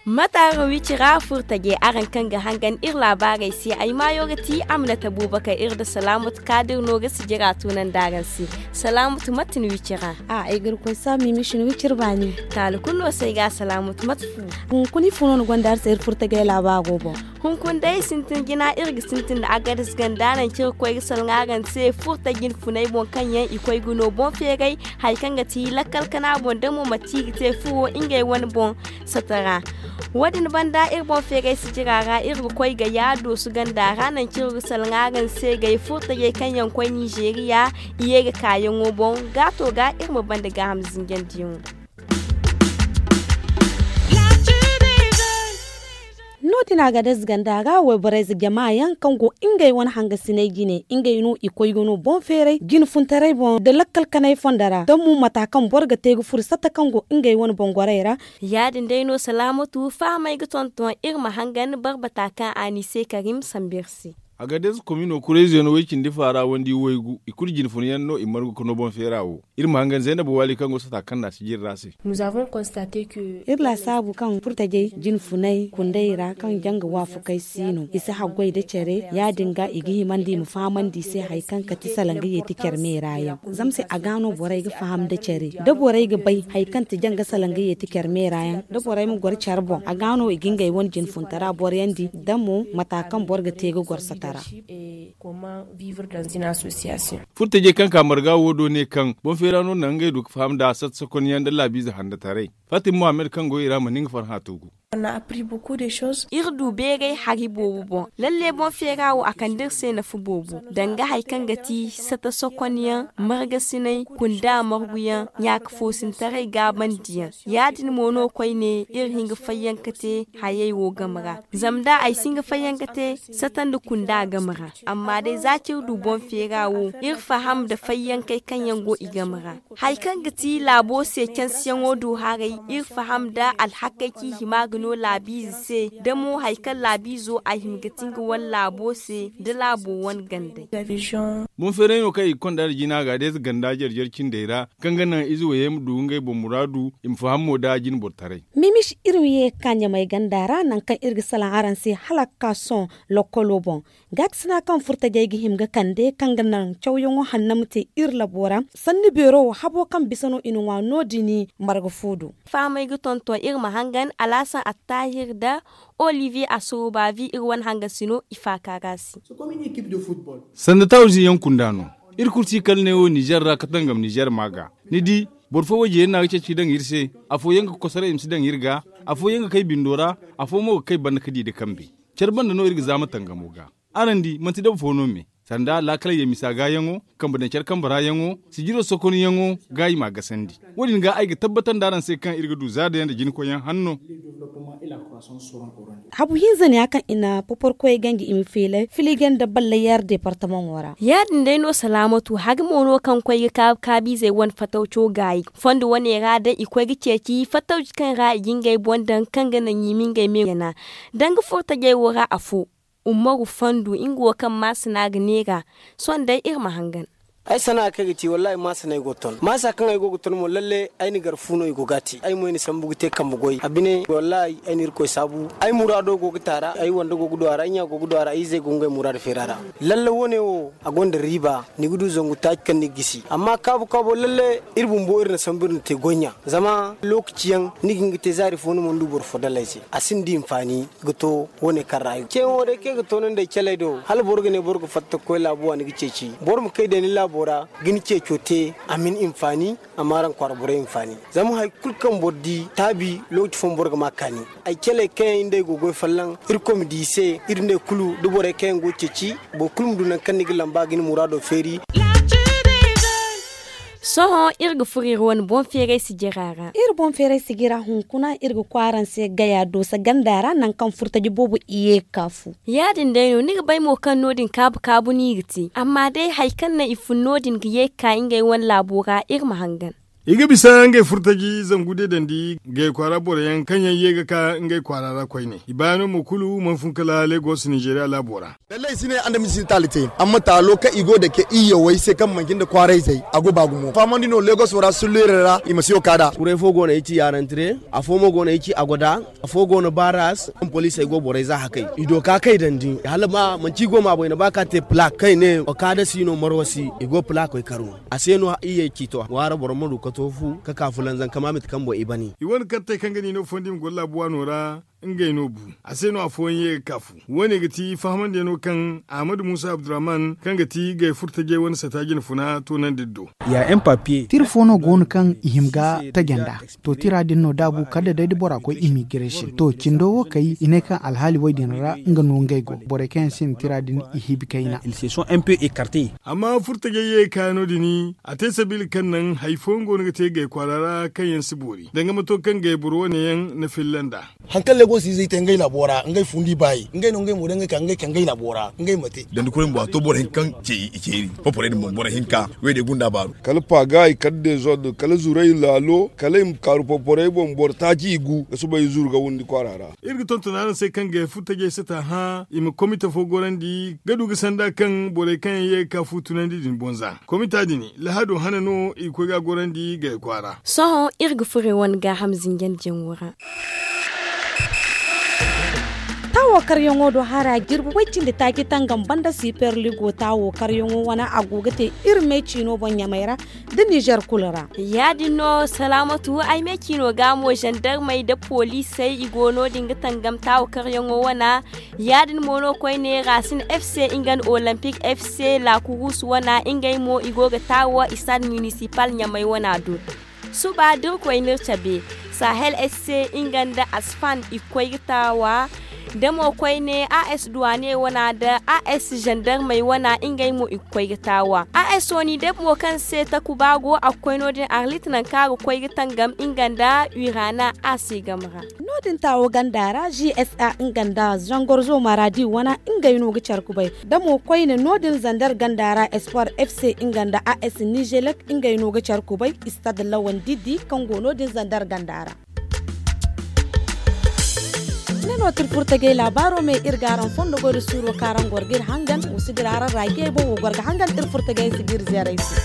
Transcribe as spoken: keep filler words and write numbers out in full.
Mataaro wicira furtajey araŋ kaŋ ga hangan iri laabaarey se ay maayo ga ti a ma na tabuuba kay iri nda salaamatu kaadir no ga sijira tunandi araŋ se. Salaamatu mate ni wicira? A ay ga iri koy saabu miimishin wicir baani. Taali kulu no se ay ga salaamatu mate fu? Hunkuna ifo no ni gonda hari se iri furtajey laabaaro boŋ? Hunkuna day sintin jina iri ga sintin nda agades ganda naŋ kaŋ iri ga koy ga salaŋ araŋ se furtajey funey boŋ kaŋ yaŋ i koy ga no boŋ feeray hari kaŋ ga ti lakkal kana boŋ da mo manti i ga te furo ngey wane boŋ satara. Wo- din banda iri boŋ feeray sijira ra iri ga koy ga yaado su ganda ra naŋ kaŋ iri ga salaŋ araŋ se gay furtajey kaŋ yaŋ koy nizeeriya i ye ga kaayaŋo boŋ gaato ga iri ma banda gaaham zinjandiyaŋo. No- din a ga day ziganda ra wayborey ze jama yaŋ kaŋ go ngey wane hangasiney jine ngey no i koy ga no boŋ feeray jine funtaray boŋ nda lakkal kanay fondo ra da mo mata kaŋ boro ga te ga furo satta kaŋ go ngey wane boŋ gorey ra. Ya- din day no salaamatu fahamey ga tonton iri ma hangan barbata kaŋ a ni se karim sambu iri se. Agadez komino kurayze no way cindi faara wandi waygu i kulu jine funa yaŋ no i margu ka no boŋ feera wo. Iri ma hangan zaynaba waali kaŋ go sata kaŋ na si jiri ra se. Iri laasaabu kaŋ furtajey jine funay kunday ra kaŋ janga waafakey si no i si haggoy nda care ya- din ga i ga himandi i ma fahamandi i se hari kaŋ kati salaŋ ga yeeti care meera yaŋ. Zama se a ga no borey ga faham nda care da borey ga bay hari kaŋ ti janga salaŋ ga yeeti care meera yaŋ da borey ma goro care boŋ a ga no i ga ngey wane jine funtara boroyandi da mo mata kaŋ boro ga te ga goro satara. Furtajey kaŋ ka marga wo do ne kaŋ boŋ feera no naŋ ngey du ga faham nda satta sokonyaŋ nda laabiize handataray fatim mohammed kaŋ go i ra ma nin ga farhã to gu. Iri du beeray hari boobo boŋ lalle boŋ feera wo a kande iri se nafa boobo danga hari kaŋ ga ti satta sokonyaŋ margasinay kunda marguyaŋ ɲaaka foosintaray gaabandiyaŋ ya- din mo no koyne iri hin ga fayyaŋ ka te hayey wo game ra. Zama da ay si hin ga fayyaŋ ka te satta nda kunda game ra amma day za kaŋ iri du boŋ feera wo iri faham nda fayyankey kaŋ yaŋ go i game ra. Hari kaŋ ga ti laabo se cansiyaŋo du haray iri faham nda alhakey kaŋ i hima ga no laabiize se da mo hari kaŋ laabiizo a hima ga ti nga wane laabo se nda laabo wane gandey. Boŋ feeray no kaŋ i ga konda nda jina ga day ganda jare jare cindey ra kaŋ ga naŋ ize wayey ma du ngey boŋ muraadu i ma faham mo nda jine boro taray. Mimis iri ma ye ga ka ɲamay ganda ra nangu kaŋ iri ga salaŋ araŋ se hala ga ka sohõ lokkolo boŋ. Gaakasina kaŋ furtajey ga hima ga kande kaŋ ga naŋ cawyaŋo hanno ma te iri labo ra sanni beero wo habo kaŋ bisa no i na ŋwa no- din marga fu do. Fahamey ga tonton iri ma hangan alaasan attaahir nda oliviye asorobavi iri wane hangasino i faaka ga se. Sanda tawzi yaŋ kunda no iri kulu si kala ne wo nizer ra ka tangam nizer ma ga ni di boro fo wayje yaŋ no a ga ceeci ga daŋ iri se. Afooyaŋ ga kosoray i ma si daŋ iri ga afooyaŋ ga kay bindo ra afo mo ga kay banda ga di nda kambe. Care banda no iri ga zaama tangamo ga. Araŋ di manti daba fo no me sanda laakaley ye misa gaayaŋo kambe daŋ care kambe ra yaŋo sijiro sokonyaŋo ga i m'a gasandi. Wo- din ga ay ga tabbatandi araŋ se kaŋ iri ga du zaadayaŋ nda jinkoyyaŋ hanno. Habu hinza ne ya kaŋ i na poporkoyey ganji i ma feelay filigen nda ballayar departamaŋo ra. Ya- din day no salaamatu hari mo no kaŋ koy ga kaabu kaabiizey wane fatawco gaayi fondo wane ra day i koy ga ceeci fatawci kaŋ ra i ga ngey boŋ daŋ kaŋ ga naŋ i ma ngey me yana danga furtajey wo ra afo. Umaru fandu nga wo kaŋ maasina ga neera. Sohõ day iri ma hangan. Ay sana'a kaŋ ay ga te wallaahi maasa no ay go ga ton maasa kaŋ ay go ga ton mo lalle ay na gar fu no i go ga a te ay mo ay na sambu ga te kambe goy a bine wallaahi ay na irkoy saabu. Ay muraado go ga taara ay wande go ga du a ra ay ɲa go ga du a ra ay izey go ga ngey muraado feera ra. Lalle wo- ne wo a gonda riiba ni ga du zangu taaci kaŋ ni ga gisi amma kaabu kaabo lalle iri bumbo iri na sambu iri na te goy ɲa. Zama lookaci yaŋ ni ga hin ga te zaari fo ni mana du boro fo dala ay se a sinda hinfaani. Ga to wo- ne kaŋ ra ay go ga ceeyaŋo day kaŋ ay ga toonandi ay caley do hala boro ga ne boro ga fatta ga koy laabo waani ga ceeci boro ma kay day ni laabo ra ga ni ceeco te a ma ni hinfaani. A ma araŋ kwaara borey hinfaani. Zama hari kulu kaŋ boro di taabi lookaci fooyaŋ boro ga ma a kaani. Ay caley kaŋ yaŋ iri nda ay go ga goy folloŋ irkoy ma di i se iri nda ay kulu da borey kaŋ yaŋ go ga ceeci boro kulu ma du nangu kaŋ ni ga lamba ga ni muraado feeri. Sohõ iri ga furo iri wane boŋ feeray sijira ra iri boŋ feeray sijira hunkuna iri ga koy araŋ se gaya doosa ganda ra nangu kaŋ furtaji boobo i ye ga ka fu. Ya- din day no ni ga bay mo kaŋ no- din kaabu kaabu no i ga te amma day hari kaŋ naŋ i fun no- din ga ye ga ka ngey wane laabo ra iri ma hangan. I ga bisa ngey furtaji zangu deedandi gay kwaara boro yaŋ kaŋ yaŋ ye ga ka ngey kwaara ra koyne. I baayaŋo mo kulu mana fun kala legos ninzeeriya laabo ra. Lallai si ne andamiz si ne taali te, amma taalo kaŋ i go ga dake iyyawey se kaŋ manci nda kwaarayzey a go ba gumo fahamandi no legos wo ra sulleerey ra i ma si yo ka nd'a. Kuray fo go no ay ci yaarantire, afo mo go no ay ci agoda, afo go no baaras kaŋ poliisey go borey za hakay i do ka kay dandi hala ma manci i go ma boy na ba ka te palaak kaŋ i ne okada si no marwa si i go palaakey karu. A se no iyyey ciito waara boro ma du ka to fu ka ka fulanzam kama mate kaŋ boŋ i bani. I wane kartey kaŋ ga ni no fondi ma goro laabu waano ra ngey no bu. A se no afooyaŋ ye ga ka fu. Wo- ne ga ti fahamandiyano kaŋ ahmadu muusa abdurrahman kaŋ ga ti gay furtajey wane sata jinfuna toonandi iri do. Tira fo no go no kaŋ i hima ga taja nd'a. To tira din no da a bu kala da day da bora koy immigresi to cindo wo kay i ne kaŋ alhaali wo- din ra nga no ngey go borey kaŋ yaŋ sinda tira din i hibi kayna. Amma furtajey ye ga kaayaŋo din a te sabiila kaŋ naŋ hari fooyaŋ go no ga te gay kwaara ra kaŋ yaŋ si boori danga mato kaŋ gay boro wane yaŋ na filla nd'a. Hari kaŋ legos izey te ngey laabo ra ngey fundi baayi ngey no ngey mo day ngey ka ngey ka ngey laabo ra ngey ma te. Dandi kuray bumbo a to boro hinka kaŋ ce i ceeri poporey din boŋ boro hinka wey day gunda baaru. Kala paaga i kala dezord kala zuray laalo kala i ma kaaru poporey boŋ boro taaci i gu ga soobay zuru ga windi kwaara ra. Iri ga tonton araŋ se kaŋ gay furtajey sata hã i ma komite fo gorandi ga du ga sanda kaŋ borey kaŋ yaŋ ye ga ka fu tunandi din boŋ za komita din lahado hana no i ga koy ga a gorandi gay kwaara. Sohõ iri ga furo iri wane gaaham zinjandi jaŋo ra. Taawo karyaŋo do hara jirbi way cindi taaci tangam banda siperligo taawo karyaŋo wane a go ga te iri me ciino boŋ ɲamay ra nda nizer kulu ra. Ya- din no salaamatu ay me ciino ga mo zandarmey nda poliisey i go no- din ga tangam taawo karyaŋo wane. Ya- din mo no koyne rasin f c nga nda olympik f c lakurus wane ngey mo i go ga taawo istad minisipal ɲamay wane do. Suba da iri koy n'iri cabe sahel s c nga nda asfan i ga koy ga taawa. Da mo koyne a s duwane wana da a s zandarmey wana ngey mo i ga koy ga taawa a s oni da mo kaŋ se takuba go a ga koy no- din arlit nangu kaŋ a ga koy ga tangam nga nda urana a se game ra. No- din taawo ganda ra g s a nga nda zangorzo maradi wana ngey no ga care kubay. Da mo koyne no- din zandar ganda ra espoir f c nga nda a s nizelek ngey no ga care kubay istad lawan diddi kaŋ go no- din zandar ganda ra. Ne no tirfurtagey laabaaro me iri ga araŋ fondo goy da suuro kaŋ araŋ goro ga iri hangan wa si dira araŋ raajiyey boŋ wa goro ga hangan iri furtagey si ga iri zeeray se.